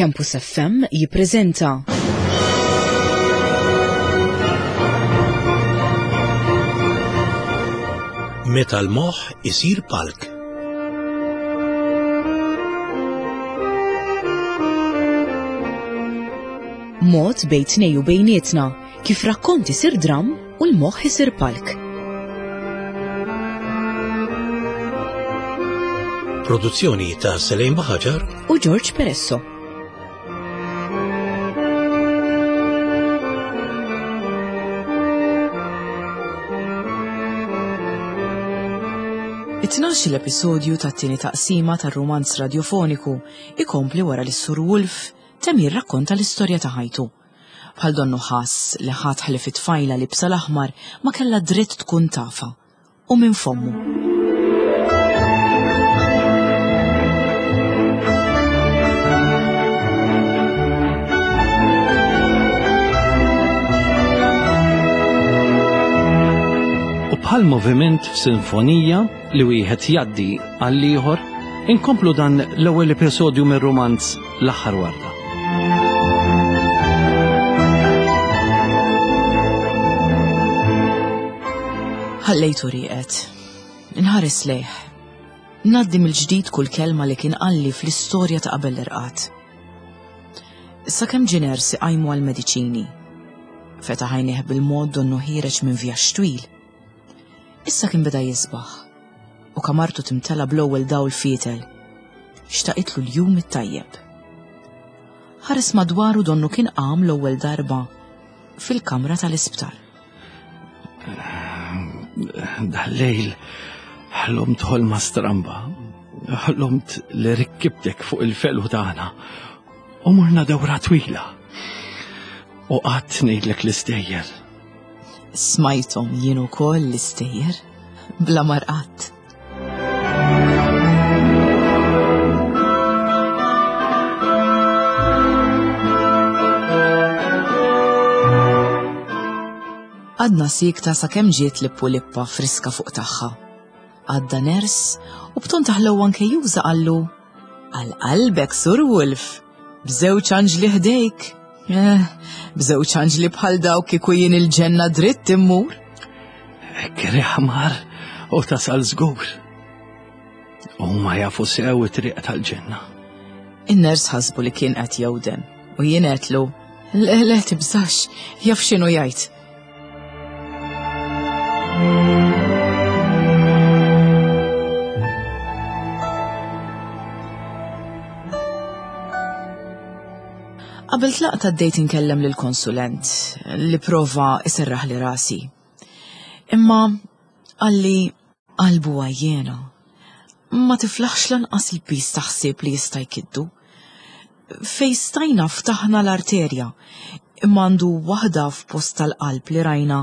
Campus FM jippreżenta Meta l-moħħ isir palk. Mod bejn tnej u bejnietna kif rakkont isir dram u l-moħħ isir palk. Produzzjoni ta' Selejn Baħaġar u George Peresso. It-tnax l-episodju tat-tieni taqsima tar-rumanz radjofoniku ikompli wara li Sur Wolf temm jirrakkonta l-istorja ta' ħajtu. Bħal donnu ħass li ħadd ħlief it-tfajla libsa l-aħmar ma kellha dritt tkun tafha. U minn fommu. U bħal moviment f'sinfonija li wieħed jgħaddi għall-ieħor, inkomplu dan l-ewwel episodju mir-rumanz L-aħħar warda. Ħallejtu rieqed. Inħares lejh. Ngħaddi mill-ġdid kull kelma li kien qalli fl-istorja ta' qabel l-irqad. Sakemm ġie ners iqajmu għall-mediċini. Fetaħ għajnejh bil-mod donnu ħiereġ minn vjaġġ twil. Issa kien beda jisbaħ u kamartu timtela bl-ewwel dawl fietel. Xtaqitlu l-jum it-tajjeb. Ħares madwaru donnu kien qam l-ewwel darba fil-kamra tal-isptar. Dal-lejl ħlomt ħolma stramba. Ħlomt li rikkibtek fuq il-felu tagħna u morna dawra twila. U qatt ngħidlek l-istejjer. Smajthom jien ukoll l-istejjer bla marqat. Għadna sikta sakemm ġiet lippu lippa friska fuq tagħha. Għadda ners u b'ton taħlew anke juża qallu Għal qalbek, Sur Wolf, b'żewġ anġli ħdejk. Eh, b'żewġ anġli bħal dawk kieku jien il-ġenna dritt immur. Ekk ħmar u tasal żgur. Huma jafu sew it-triq tal-ġenna. In-ners ħasbu li kien qed jewden u jien għedtlu, le le tibżax, jaf x'inhu jgħid. Qabel tlaqt għaddejt inkellem lil konsulent li prova iserraħ li rasi. Imma qalli Qalbu għajjena. Ma tiflaħx lanqas il-piż ta' ħsieb li jista' jkiddu. Fejn stajna ftaħna l-arterja, imma għandu waħda f'post tal-qalb li rajna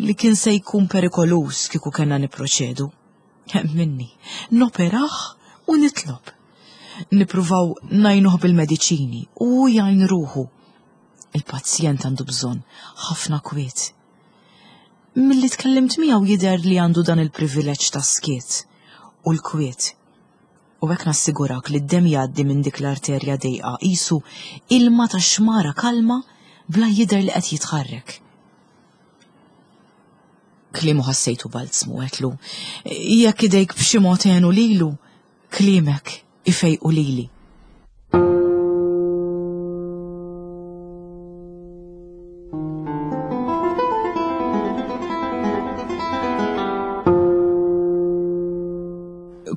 li kien se jkun perikoluż kieku kellna nipproċedu. Minni, noperah u nitlob. Nippruvaw ngħinuh bil-mediċini u hu jgħin ruħu. Il-pazjent għandu bżonn ħafna kwiet. Milli tkellimt miegħu jidher li għandu dan il-privileġġ tas-skiet u l-kwiet. U hekk nassigurak li d-demm jgħaddi minn dik l-arterja dejqa qisu ilma ta' xmara kalma bla jidher li qed jitħarrek. Kliemu ħassejtu balzmu għedtlu, jekk idejk b'xi mod għenu lilu, Kliemek ifejqu lili.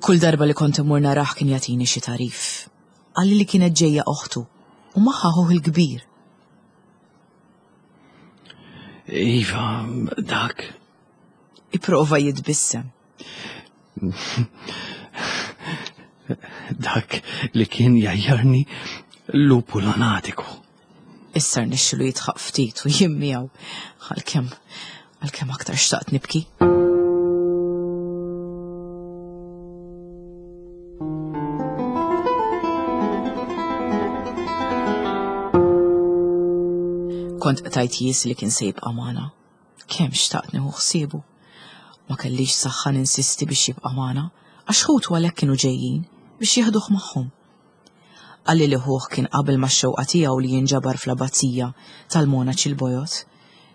Kull darba li kont immur narah kien jagħtini xi tagħrif. Qalli li kienet ġejja oħtu u magħha ħuh il-kbir. Iva, dak. Ipprova jitbissem. Dak li kien jajjarni lupu lanatiku. Issa rnexxilu jitħaq ftit u jien miegħu għalkemm għalkemm aktar xtaqt nibki. Kont qtajt jies li kien se jibqa' magħna. Kemm xtaqt nieħu ħsiebu. Ma kellix saħħa ninsisti biex jibqa' magħna, għax ħutu għalhekk kienu ġejjin biex jeħduh magħhom. Qalli li ħuh kien qabel max-xewqa tiegħu li jinġabar fl-abbazija tal-monaċi l-bojod,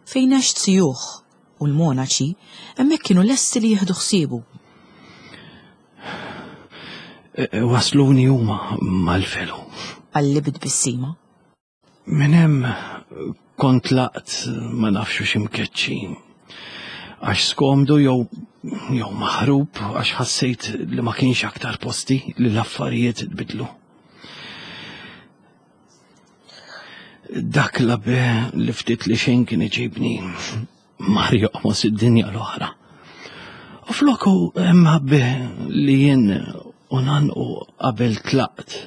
fejn għex zijuh u l-monaċi hemmhekk kienu lesti li jieħdu ħsiebu. E, e, wasluni huma mal-felu. Qalli bit-tbissima. Minn hemm kont laqt ma nafx hux imkeċċi. Għax skomdu jew jew maħrub għax ħassejt li ma kienx aktar posti li l-affarijiet tbidlu. Dak l-abe li ftit li xejn kien iġibni mar joqmos id-dinja l-oħra. U floku hemm ħabbi li jien u nanqu qabel tlaqt.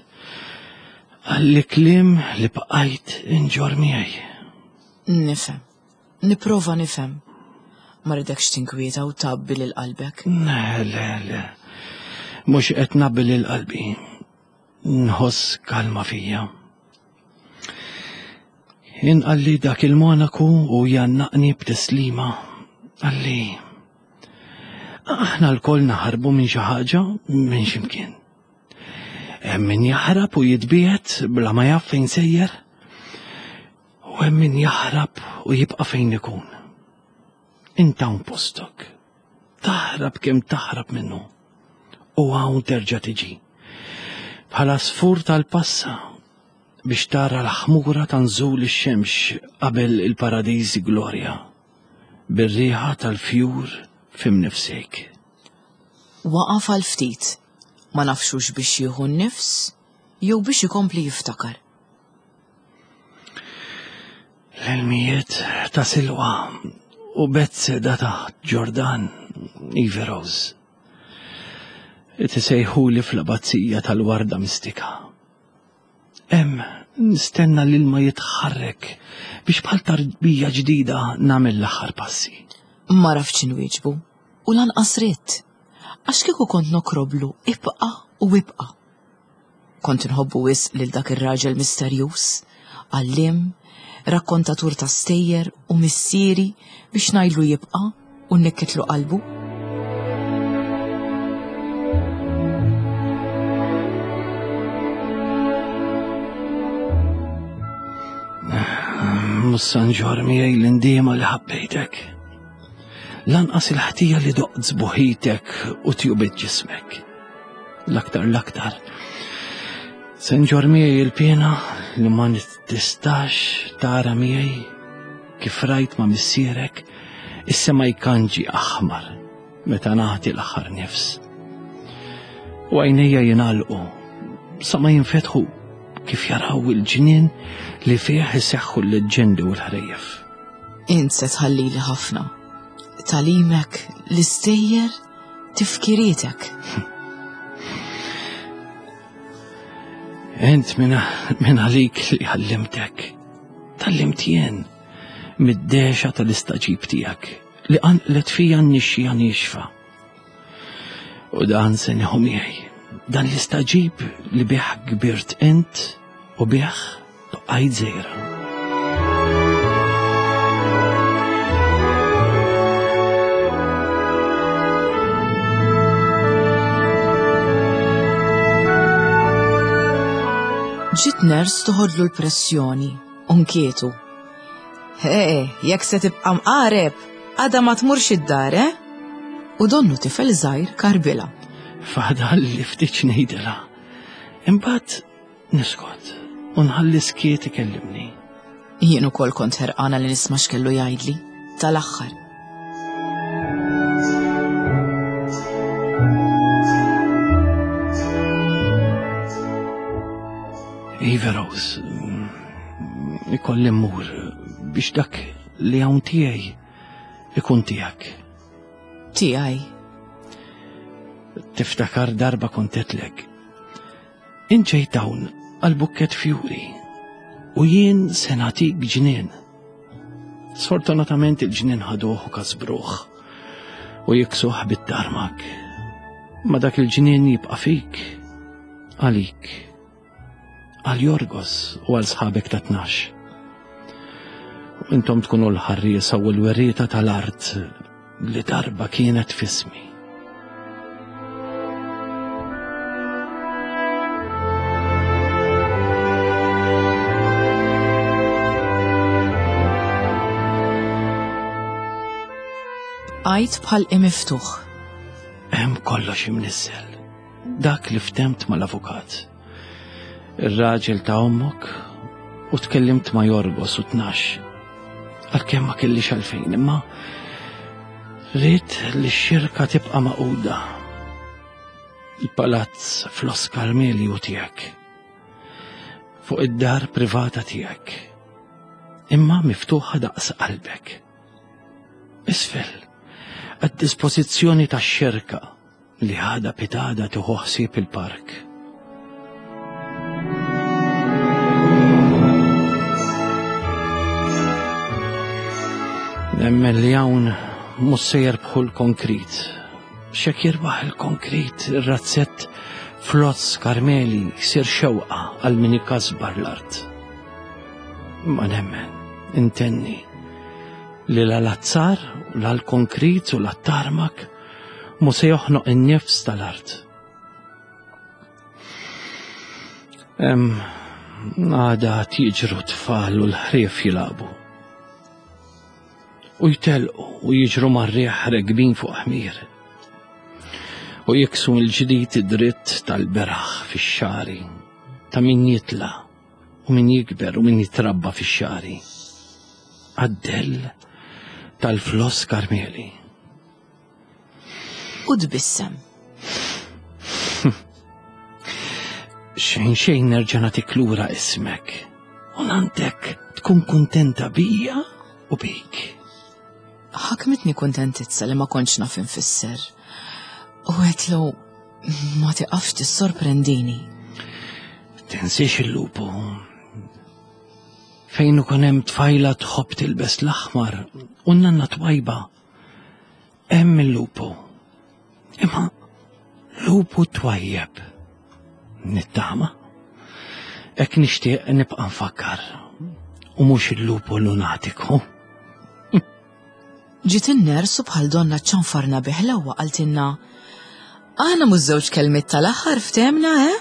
Għalli kliem li bqajt inġor miegħi. Nifhem. Nipprova nifhem. Ma ridekx tinkwieta u tgħabbi lil qalbek. Le, le, le. Mhux qed nabbi lil qalbi. Nħoss kalma fija. Jien qalli dak il-monaku u jannaqni b'tislima. Qalli, aħna lkoll naħarbu minn xi ħaġa minn x'imkien. Hemm min jaħrab u jitbiegħed bla ma jaf fejn sejjer, u hemm min jaħrab u jibqa' fejn ikun. Int hawn postok. Taħrab kemm taħrab minnu. U hawn terġa' tiġi. Bħala sfur tal-passa biex tara l-ħmura ta' nżul ix-xemx qabel il-paradiż glorja, bir-riħa tal-fjur f'imnifsejk. Waqaf għal ftit, ma nafx hux biex jieħu n-nifs jew biex ikompli jiftakar. L-ilmijiet ta' Silwa u Betseda ta' Ġordan, Ivy Rose. Tisejħuli fl-abazzija tal-warda mistika. Hemm nistenna l-ilma jitħarrek biex bħal tarbija ġdida nagħmel l-aħħar passi. Ma raftx inwieġbu u lanqas ridt. Għax kieku kont nokroblu ibqa' u ibqa'. Kont inħobbu wisq lil dak ir-raġel misterjuż, għalliem, rakkontatur ta' stejjer u missieri biex ngħidlu jibqa' u nnikkitlu qalbu. Mhux se nġorr miegħi l-indiema li ħabbejtek. Lanqas il-ħtija li doqt sbuħitek u tjubit ġismek. L-aktar l-aktar. Se nġorr miegħi il-piena li ma tistax tara miegħi kif rajt ma' missierek is-sema jkanġi aħmar meta nagħti l-aħħar nifs. U għajnejja jingħalqu sa ma jinfetħu kif jaraw il-ġnien li fih iseħħu l-leġġendi u l-ħrejjef. Int se tħallili ħafna. Talimek, l-istejjer, tifkirietek. Int minn għalik li għallimtek. Tallimt jien mid-dexa tal-istaġib tiegħek li qanqlet fija n-nixxija niexfa. U dan se nieħu miegħi. Dan l-istaġib li bih kbirt int u bih bqajt żgħira. Ġiet ners toħodlu l-pressjoni u nkietu. He, jekk se tibqa' mqareb, għada ma tmurx id-dar, eh? U donnu tifel żgħir karbilha. Fadal li ftit ngħidilha. Imbagħad niskot u nħalli skiet ikellimni. Jien ukoll kont ħerqana li nisma' x'kellu jgħidli tal-aħħar. Iva Rose, ikolli mmur biex dak li hawn tiegħi ikun tiegħek. Tiegħi. Tiftakar darba kontetlek. Inġejt hawn għal bukket fjuri u jien se nagħtik ġnien. Sfortunatament il-ġnien ħaduh u kasbruh u jiksuh bit-tarmak. Ma dak il-ġnien jibqa' fik għalik għal Jorgos u għal sħabek ta' 12. U intom tkunu l-ħarriesa u l-werrieta tal-art li darba kienet fismi. Bqajt bħal imiftuħ. Hemm kollox imnizzel. Dak li ftemt mal-avukat. Ir-raġel ta' ommok u tkellimt ma' Jorgos u tnax. Għalkemm ma kellix għalfejn imma rrid li x-xirka tibqa' maquda. Il-palazz f'Los Carmeli hu tiegħek. Fuq id-dar privata tiegħek. Imma miftuħa daqs qalbek. Isfel, għad-dispożizzjoni tax-xerka li għada pitada tieħu ħsieb il-park. Nemmen li hawn mhux se jerbħu l-konkrit. X'hekk jirbaħ il-konkrit, ir-razzett flozz Karmeli jsir xewqa għal min ikasbar l-art. Ma nemmen, intenni, li la l-azzar u la l-konkrit u la t-tarmak mu se joħnoq in-nifs tal-art. Għada jiġru tfal u l-ħrief jilabu. U jtelqu u jiġru mar-riħ regbin fuq ħmir. U jiksu mill-ġdid id-dritt tal-beraħ fix-xari ta' min jitla' u min jikber u min jitrabba fix-xari. Għaddell tal-flos Karmeli. U tbissem. Xejn xejn nerġa' nagħtik lura ismek. U nantek tkun kuntenta bija u bik. Ħakmitni kuntentizza li ma kontx naf infisser. U għetlu ma tiqafx tissorprendini. Tinsiex il-lupu. Fejn ukoll hemm tfajla tħobb tilbes l-aħmar u nanna twajba Hemm il-lupu. Imma lupu twajjeb. Nittama. Hekk nixtieq nibqa' nfakkar. U mhux il-lupu lunatiku. Ġiet in-ners u bħal donna ċanfarna bi ħlewwa qaltilna, Aħna mhux żewġ kelmiet tal-aħħar ftehmna, eh?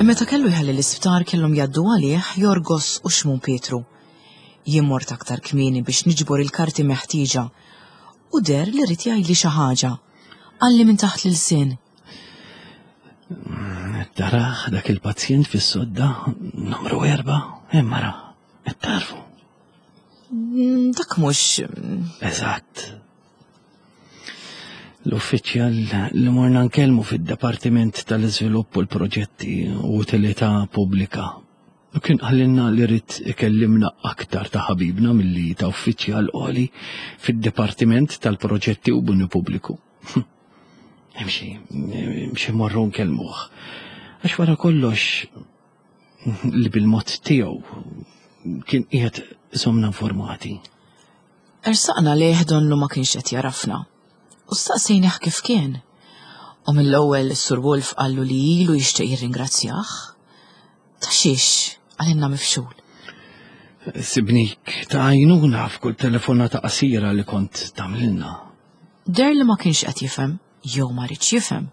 Meta kellu jħalli l-isptar kellhom jgħaddu għalih Jorgos u Xmun Pietru. Jien mort aktar kmieni biex niġbor il-karti meħtieġa u deher li ried jgħidli xi ħaġa. Qalli minn taħt l-ilsien. Taraħ dak il-pazjent fis-sodda numru erba' hemm mara, qed tarfu. Mm, dak mhux. Eżatt. L-uffiċjal li morna nkellmu fid-Dipartiment tal-Iżvilupp u l-Proġetti u Utilità Pubblika. U kien qalilna li rid ikellimna aktar ta' ħabibna milli ta' uffiċjal għoli fid-Dipartiment tal-Proġetti u Bini Pubbliku. Imxi, imxi morru nkellmuh. Għax wara kollox li bil-mod tiegħu kien qiegħed iżommna informati. Ersaqna lejh donnu ma kienx qed jarafna u staqsejnih kif kien. U mill-ewwel is-Sur Wolf qallu li ilu jixtieq jirringrazzjah. Ta' xiex qalilna mifxul. Sibnik ta' għajnuna f'kull telefonata qasira li kont tagħmlilna. Deher li ma kienx qed jifhem, jew ma riedx jifhem.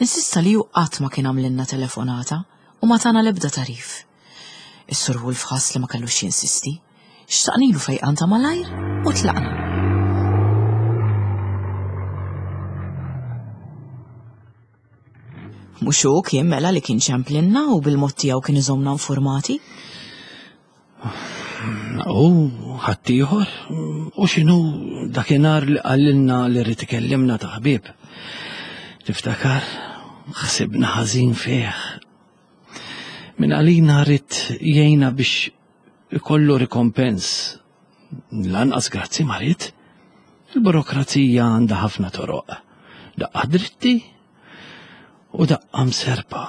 Insista li hu qatt ma kien għamlilna telefonata u ma tana l-ebda tagħrif. Is-Sur Wolf ħass li ma kellux jinsisti. Xtaqnilu fejqan ta' malajr u tlaqna. Mhux hu kien mela li kien ċemplinna u bil-mod tiegħu kien iżommna informati? U ħaddieħor, u x'inhu dakinhar li qalilna li rrid ikellimna ta' ħbieb. Tiftakar, ħsibna ħażin fih. Min għalina rrid jgħinna biex ikollu rikompens. Lanqas grazzi ma ried. Il-burokrazija għandha ħafna toroq. Daqqa dritti u daqqa mserpa.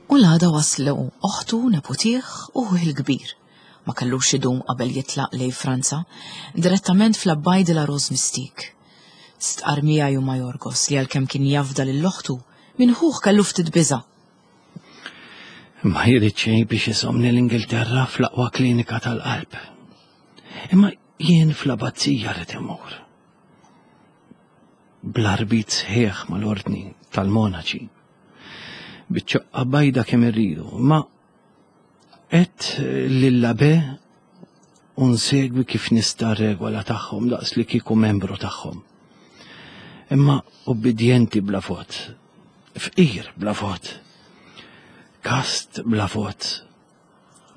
U l-għada waslu oħtu, neputih u ħuh il-kbir. Ma kellux idum qabel jitlaq lejn Franza, direttament fl-Abbaye de la Rose Mystique. Stqarr miegħi u ma' Jorgos li għalkemm kien jafda lil oħtu, minn ħuh kellu ftit biża'. Ma jrid xejn biex iżommni l-Ingilterra fl-aqwa klinika tal-qalb. Imma jien fl-abazzija rrid immur. Bl-arbit sħiħ mal-ordni tal-monaċi. Biċ-ċoqqa bajda kemm irridu, ma qed lill-abe u nsegwi kif nista' regola tagħhom daqs li kieku membru tagħhom. Imma ubbidjenti bla vot, fqir bla vot, kast bla vot,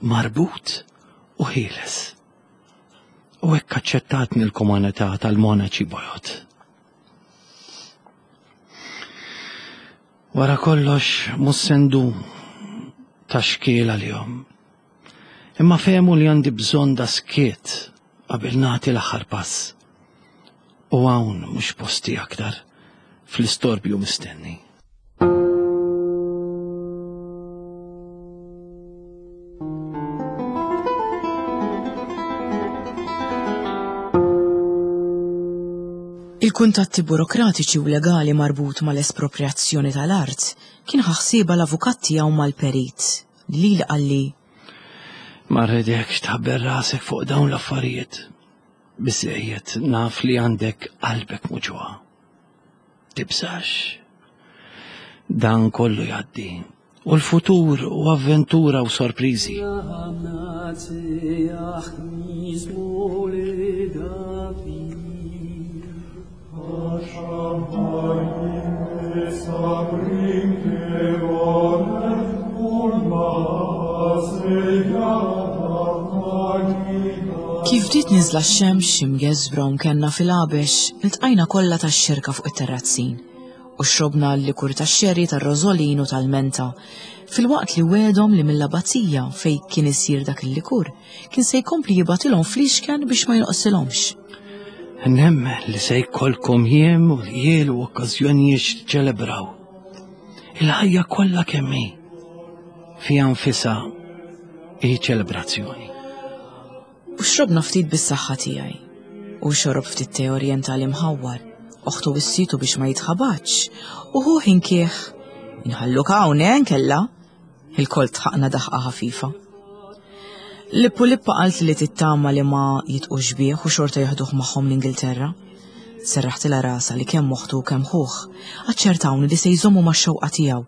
marbut u ħieles. U hekk aċċettatni l-komunità tal-monaċi bojod. Wara kollox mhux se ndum ta' xkiel għalihom. Imma fehmu li għandi bżonn da skiet qabel nagħti l-aħħar pass. U hawn mhux posti aktar fl-istorbju mistenni. Il-kuntatti burokratiċi u legali marbut mal-esproprjazzjoni tal-art kien ħa ħsiebha l-avukat tiegħu mal-perit li lili qalli. Ma rridekx tħabbel rasek fuq dawn l-affarijiet. Biżżejjed naf li għandek qalbek muġugħa. Tibżax. Dan kollu jgħaddi. U l-futur u avventura u sorpriżi. Kif bdiet niżla x-xemx imgeżwra u mkenna fil-għabex, iltqajna kollha tax-xirka fuq it-terrazzin u xrobna l-likur tax-xerri tar-rożolin u tal-menta, filwaqt li wegħdhom li mill-abbazija fejn kien isir dak il-likur kien se jkompli jibgħatilhom fliexken biex ma jonqsilhomx. Nemmen li se jkollkom jiem u ljiel u okkażjonijiet x'tiċċelebraw. Il-ħajja kollha kemm hi fiha nfisha hi ċelebrazzjoni. U xrobna ftit bis-saħħa tiegħi. U xorob ftit te orjentali mħawwar. Oħtu wissitu biex ma jitħabatx. U ħuh inkieħ. Inħalluk hawn, eh, nkella? Ilkoll dħaqna daħqa ħafifa. Lippu Lippa qalt li tittama li ma jitqux bih u xorta jaħduh magħhom l-Ingilterra. Serraħtilha rasha li kemm oħtu u kemm ħuh aċċertawni li se jżommu max-xewqa tiegħu.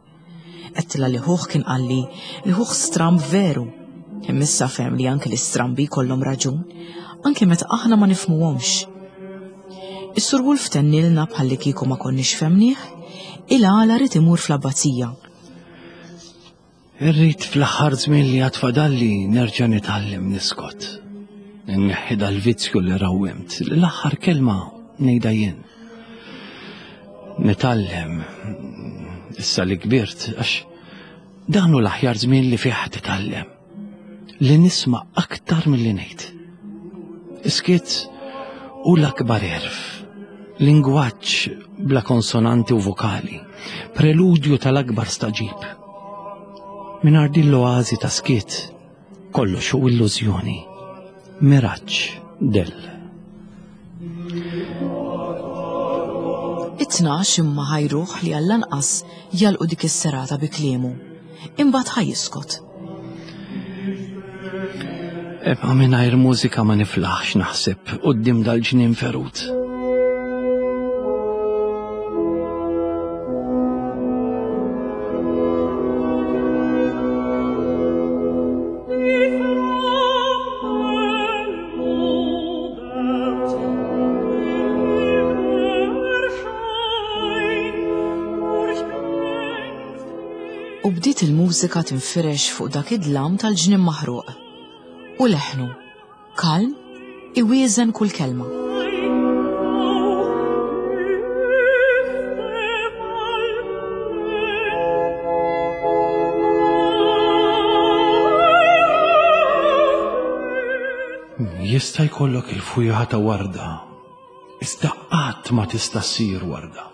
Għedtilha li ħuh kien qalli li ħuh stramb veru. Imma issa fehem li anke l-istrambi jkollhom raġun, anke meta aħna ma nifhmuhomx. Is-Sur Wolf tennilna bħallikieku ma konniex fehmnieh, il-għala ried imur fl-abbazija. Irrid fl-aħħar żmien li għad fadalli nerġa' nitgħallem niskot. Inneħħi dal-vizzju li rawwimt, li l-aħħar kelma ngħidha jien. Nitgħallem issa li kbirt għax dan hu l-aħjar żmien li fih titgħallem. Li nisma' aktar milli ngħid. Iskiet hu l-akbar għerf. Lingwaġġ bla konsonanti u vokali. Preludju tal-akbar staġib. Mingħajr din l-oażi ta' skiet, kollox hu illużjoni. Miraġġ dell. It-tnax imma ħajruh li għall-anqas jagħlqu dik is-serata bi kliemu. Imbagħad ħa jiskot. Imma mingħajr mużika ma niflaħx naħseb quddiem dal-ġnien ferut. U bdiet il-mużika tinfirex fuq dak id-dlam tal-ġnien maħruq. U leħnu, kalm, iwieżen kull kelma. Jista' jkollok il-fwieħa ta' warda, iżda qatt ma tista' ssir warda.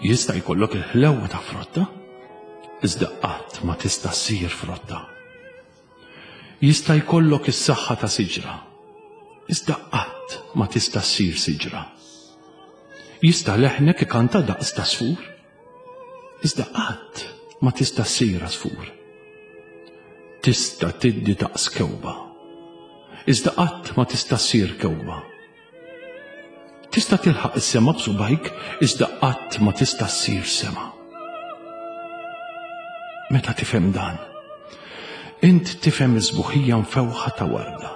Jista' jkollok il-ħlewwa ta' frotta, iżda qatt ma tista' ssir frotta. Jista' jkollok is-saħħa ta' siġra, iżda qatt ma tista' ssir siġra. Jista' leħnek ikanta daqs ta' sfur, iżda qatt ma tista' ssir għasfur. Tista' tiddi daqs kewba. Iżda qatt ma tista' ssir kewba. Tista' tilħaq is-sema b'subajk, iżda qatt ma tista' ssir sema. Meta tifhem dan, int tifhem is-sbuħija mfewħa ta' warda,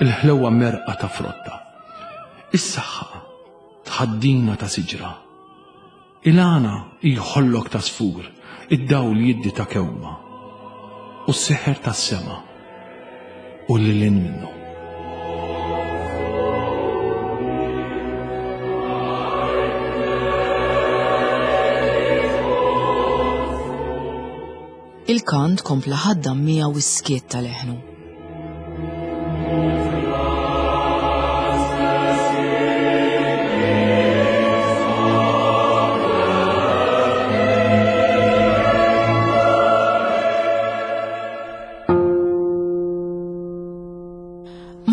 il-ħlewwa merqa ta' frotta, is-saħħa tħaddina ta' siġra, Il-għana jħollok ta' sfur, id-dawl jiddi ta' kewma, u s-seħer tas-sema u lil hinn minnu. Il-kant kompla ħaddam miegħu s-skiet ta' leħnu.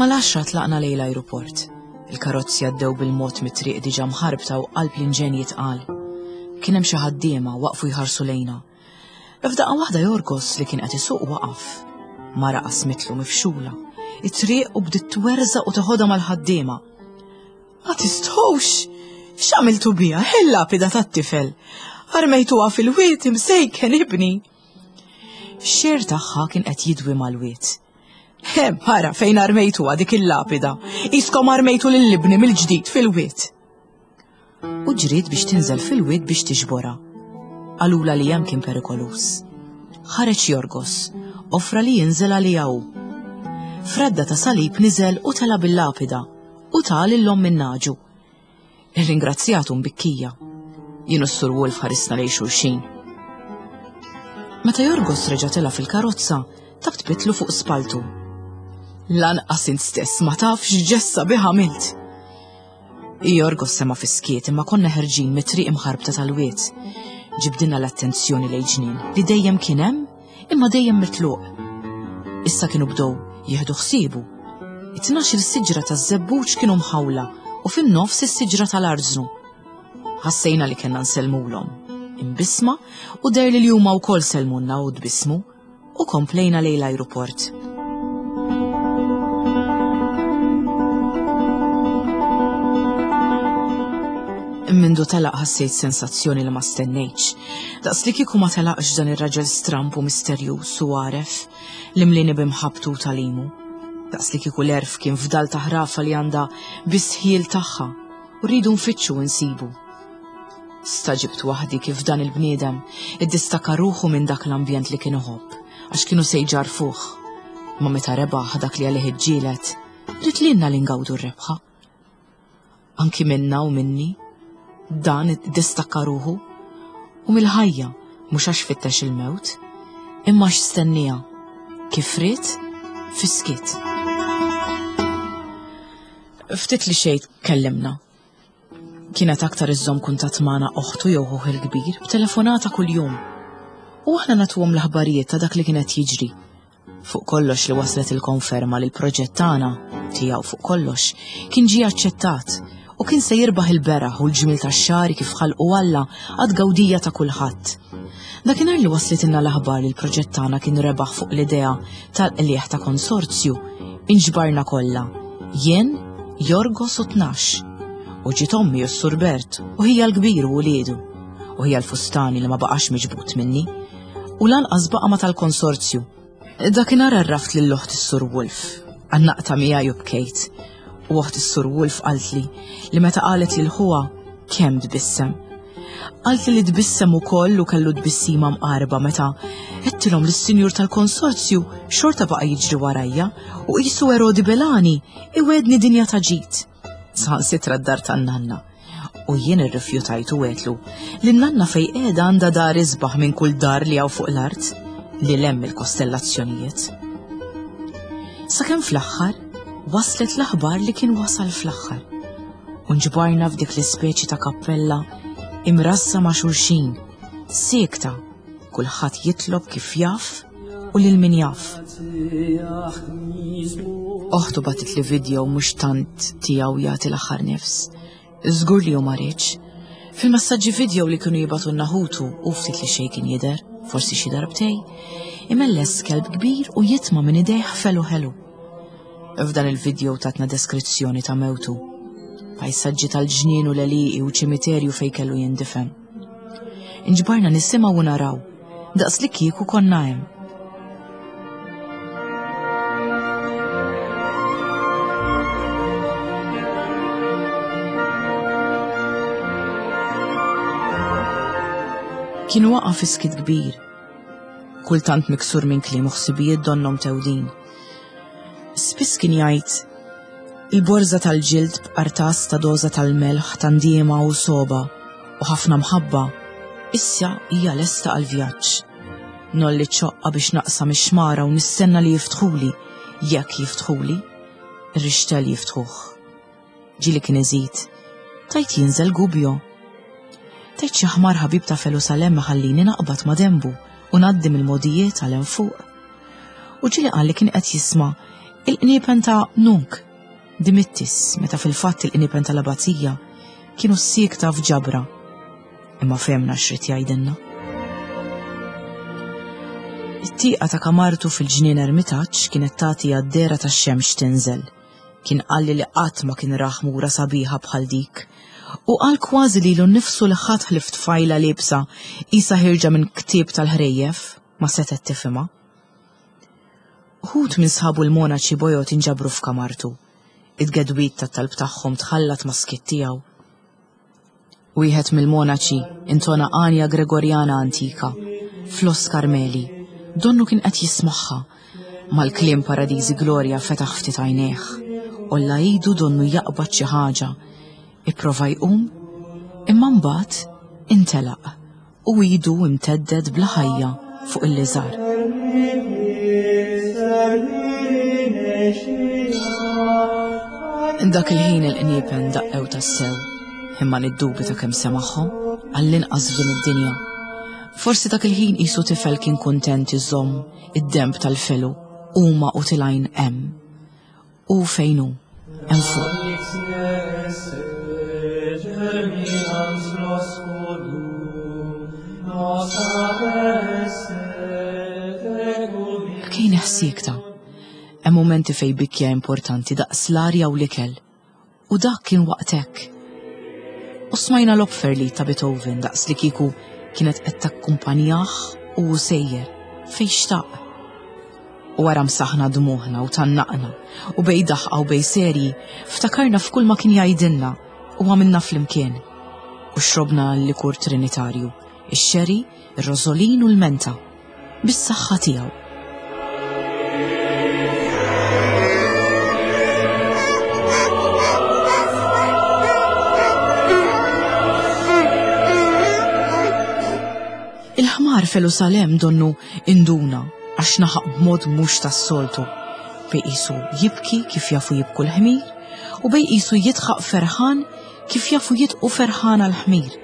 Mal-għaxra tlaqna lejn l-ajruport. Il-karozzi għaddew bil-mod mit-triq diġà mħarbta u qalb l-inġenji tqal. Kien hemm xi ħaddiema waqfu jħarsu lejna. F'daqqa waħda Jorgos li kien qed isuq waqaf. Mara qasmitlu mifxula. It-triq u bdiet twerżaq u teħodha mal-ħaddiema. Ma tistħux! X'għamiltu biha, il-lapida tat-tifel? Armejtuha fil-wied imsejken ibni. Xer tagħha kien qed jidwi mal-wied. Hemm, ara fejn armejtuha dik il-lapida. Iskom armejtu lil ibni mill-ġdid fil-wied. U ġriet biex tinżel fil-wied biex tiġborha. Qalulha li hemm kien perikoluż. Ħareġ Jorgos, offra li jinżel għaliha hu. F'radda ta' salib niżel u tela' bil-lapida u ta lil omm in-nagħġu. Irringrazzjatu mbikkija. Jien u s-Sur Wolf ħarisna lejn xulxin. Meta Jorgos reġa' tela' fil-karozza, taptpitlu fuq spaltu. Lanqas int stess ma taf x'ġest sabiħ għamilt. Jorgos sema' fis-skiet imma konna ħerġin mit-triq imħarbta tal-wied. Ġibdilna l-attenzjoni lejn ġnien li dejjem kien hemm imma dejjem mitluq. Issa kienu bdew jieħdu ħsiebu. It-tnax-il siġra taż-żebbuġ kienu mħawla u fin-nofs is-siġra tal-arżnu. Ħassejna li kellna nsellmulhom. Imbissma u deher li huma wkoll sellmulna u tbissmu. U komplejna lejn l-ajruport. Mindu telaq ħassejt sensazzjoni li ma stennejtx. Daqs li kieku ma telaqx dan ir-raġel stramp u misterjuż u għaref li mlini b'imħabbtu u tagħlimu. Daqs li kieku l-għerf kien fdal ta' ħrafa li għandha biss ħjiel tagħha u rridu nfittxu u nsibu. Stagħġibt waħdi kif dan il-bniedem iddistakka ruħu minn dak l-ambjent li kien iħobb, għax kienu se jġarrfuh. Ma meta rebaħ dak li għalih iġġieled, ried lilna li ngawdu r-rebħa. Anki minna u minni, dan iddistakka ruħu u mill-ħajja mhux għax fittex il-mewt, imma għax stenniha kif ried fis-skiet. Ftit li xejn tkellimna. Kienet aktar iżżomm kuntatt magħna oħtu jew ħuh il-kbir b'telefonata kuljum. U aħna nagħtuhom l-aħbarijiet ta' dak li kien qed jiġri. Fuq kollox li waslet il-konferma li l-proġett tagħna, tiegħu fuq kollox, kien ġie aċċettat u kien se jirbaħ il-beraħ u l-ġmiel tax-xagħri kif ħalqu Alla għat-tgawdija ta' kulħadd. Dakinhar li waslitilna l-aħbar li l-proġett tagħna kien rebaħ fuq l-idea tal-qligħ ta' konsorzju, inġbarna kollha, jien, Jorgos u 12. U ġiet ommi u s-Sur Bert u ħija l-kbir u wliedu. U ħija l-fustani li ma baqax miġbud minni. U lanqas baqa' ma tal-konsorzju. Dakinhar għarraft lil oħt is-Sur Wolf. Għannaqtha miegħi u bkejt. U oħt is-Sur Wolf qaltli li meta qalet lil ħuha kemm tbissem. Qaltli li tbissem ukoll u kellu tbissima mqarba meta għedtilhom li s-sinjur tal-konsorzju xorta baqa' jiġri warajja u qisu Erodi Belani iwegħdni dinja ta' ġid. Saħansitra d-dar tan-nanna. U jien irrifjutajt u għedtlu li n-nanna fejn qiegħda għandha dar isbaħ minn kull dar li hawn fuq l-art li hemm il-kostellazzjonijiet. Sakemm fl-aħħar waslet l-aħbar li kien wasal fl-aħħar. U nġbarna f'dik l-ispeċi ta' kappella imrassa ma' xulxin, siekta, kulħadd jitlob kif jaf u lil min jaf. Oħtu bagħtitli video mhux tant tiegħu jagħti l-aħħar nifs. Żgur li hu ma riedx. Fil-messaġġi video li kienu jibgħatulna ħutu u ftit li xejn kien jidher, forsi xi darbtej. imelles kelb kbir u jitma' minn idejh felu ħelu. F'dan il-video tatna deskrizzjoni ta' mewtu. Pajsaġġi tal-ġnien u l-għelieqi u ċimiterju fejn kellu jindifen. Inġbarna nisimgħu u naraw, daqs li kieku konna hemm. Kien waqa' fi skiet kbir, kultant miksur minn kliem u ħsibijiet donnhom tewdin. Spiss kien jgħid il-borża tal-ġild b'qartas ta' doża tal-melħ ta' ndiema u sogħba u ħafna mħabba issa hija lesta għall-vjaġġ. Ngħolli ċ-ċoqqa biex naqsam ix-xmara u nistenna li jiftħuli, jekk jiftħuli, ir-rixtell jiftħuh. Ġieli kien iżid, Tajt jinżel Gubbio. Tajt xi ħmar ħabib ta' Felusalem iħallini naqbad ma' denbu u ngħaddi mill-mogħdijiet għal hemm fuq. U ġieli qal li kien qed jisma' il-qniepen ta' Nunc Dimittis meta fil-fatt il-qniepen tal-abbazija kienu siekta f'ġabra. Imma fehmna x'ried jgħidilna. It-tieqa ta' kamartu fil-ġnien Ermitaġġ kienet tagħti għad-dehra tax-xemx tinżel. Kien qalli li qatt ma kien ra ħmura sabiħa bħal dik. U qal kważi lilu nnifsu li ħadd ħlief tfajla liebsa qisha ħierġa minn ktieb tal-ħrejjef ma setgħet tifhimha. Uħud minn sħabu l-monaċi bojod inġabru f'kamartu. It-tgedwid tat-talb tagħhom tħallat mas-skiet tiegħu. Wieħed mill-monaċi intona għanja Gregorjana antika, Flos Carmeli, donnu kien qed jismagħha. Mal-kliem Paradisi Gloria fetaħ ftit għajnejh. Għolla idu donnu jaqbad xi ħaġa. Ipprova jqum, imma mbagħad intelaq u idu imteddet bla ħajja fuq il-liżar. Dak il-ħin il-qniepen daqqew tassew, imma niddubita kemm semagħhom, għall-inqas f'din id-dinja. Forsi dak il-ħin qisu tifel kien kuntent iżomm id-denb tal-felu huma u tilgħin hemm. Hu fejn hu, hemm fuq. Bkejna ħsiekta. Hemm mumenti fejn bikja importanti daqs l-arja u l-ikel. U dak kien waqt hekk. U smajna l-Opferlied ta' Beethoven daqs li kieku kienet qed takkumpanjah u hu sejjer fejn xtaq. U wara msaħna dmugħna u tgħannaqna u bejn daħqa u bejn serji ftakarna f'kull ma kien jgħidilna u għamilna flimkien. U xrobna l-likur trinitarju, ix-sherry, ir-rożolin u l-menta. Bis-saħħa tiegħu. Il-ħmar Felusalem donnu induna għax naħaq b'mod mhux tas-soltu. Bej qisu jibki kif jafu jibku l-ħmir u bej qisu jidħaq ferħan kif jafu jidqu ferħana l-ħmir.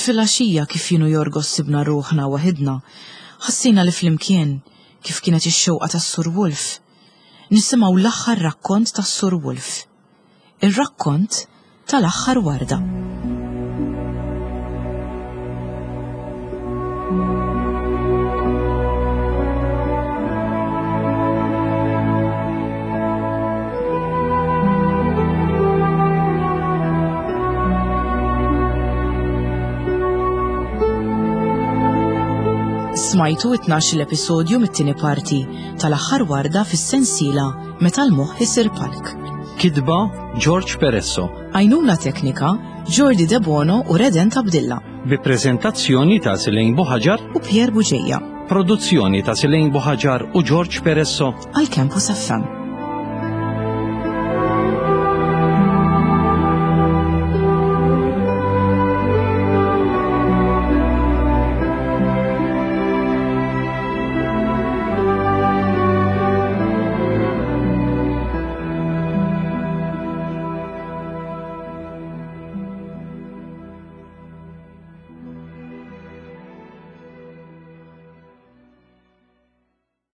Filgħaxija kif jien u Yorgos sibna ruħna waħidna, ħassejna li flimkien, kif kienet ix-xewqa tas-Sur Wolf, nisimgħu l-aħħar rakkont tas-Sur Wolf. Ir-rakkont tal-aħħar warda. Smajtu it-tnax-il episodju mit-tieni parti tal-aħħar warda fis-sensiela Meta l-moħħ isir palk. Kitba George Peresso. Għajnuna teknika Jordi Debono u Redent Abdilla. Bi preżentazzjoni ta' Silejn Buħaġar u Pierre Buġeja. Produzzjoni ta' Silejn Buħaġar u George Peresso għal Campus FM.